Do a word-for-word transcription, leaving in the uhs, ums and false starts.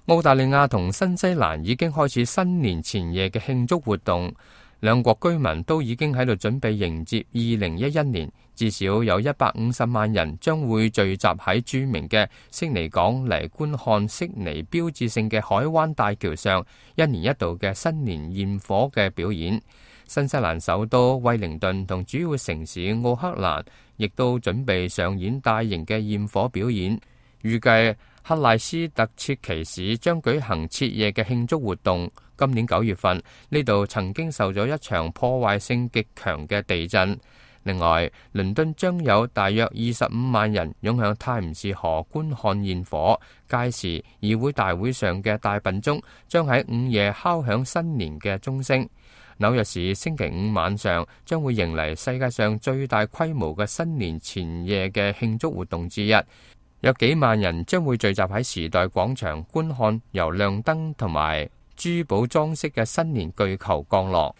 澳大利亞同新西蘭已經開始新年前夜嘅慶祝活動，兩國居民都已經喺度準備迎接二零一一年。至少有一百五十萬人將會聚集喺著名嘅悉尼港嚟觀看悉尼標誌性嘅海灣大橋上一年一度嘅新年焰火嘅表演。新西蘭首都惠靈頓同主要城市奧克蘭亦都準備上演大型嘅焰火表演。預計克賴斯特切奇市將舉行徹夜嘅慶祝活動。今年九月份，呢度曾經受咗一場破壞性極強嘅地震。另外，倫敦將有大約二十五萬人湧向泰晤士河觀看焰火。屆時，議會大會上嘅大笨鐘將喺午夜敲響新年嘅鐘聲。紐約市星期五晚上將會迎嚟世界上最大規模嘅新年前夜嘅慶祝活動之一，有幾萬人將會聚集喺時代廣場觀看由亮燈同埋珠寶裝飾嘅新年巨球降落。